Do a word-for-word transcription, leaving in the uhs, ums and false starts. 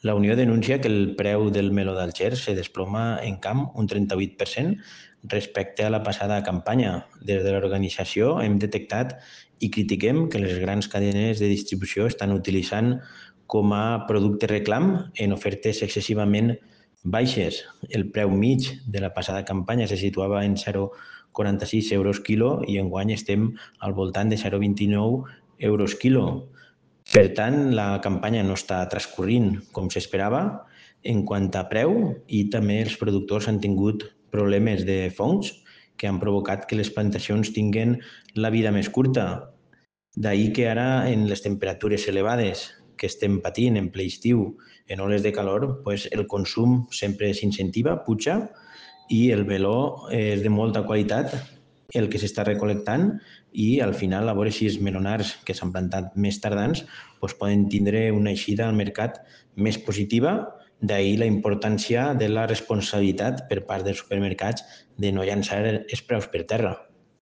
La Unió denuncia que el preu del meló d'Alger se desploma en camp un trenta-vuit per cent respecte a la passada campanya. Des de l'organització hem detectat i critiquem que les grans cadenes de distribució estan utilitzant com a producte reclam en ofertes excessivament baixes. El preu mig de la passada campanya se situava en zero coma quaranta-sis euros quilo i enguany estem al voltant de zero coma vint-i-nou euros quilo. Per tant, la campanya no està transcorrint com s'esperava en quant a preu i també els productors han tingut problemes de fongs que han provocat que les plantacions tinguen la vida més curta. D'ahir que ara, en les temperatures elevades que estem patint en ple estiu, en hores de calor, pues el consum sempre s'incentiva, puja, i el meló és de molta qualitat el que s'està recolectant i al final, a veure si els melonars que s'han plantat més tardans pues, poden tindre una eixida al mercat més positiva. D'ahir la importància de la responsabilitat per part dels supermercats de no llançar els preus per terra.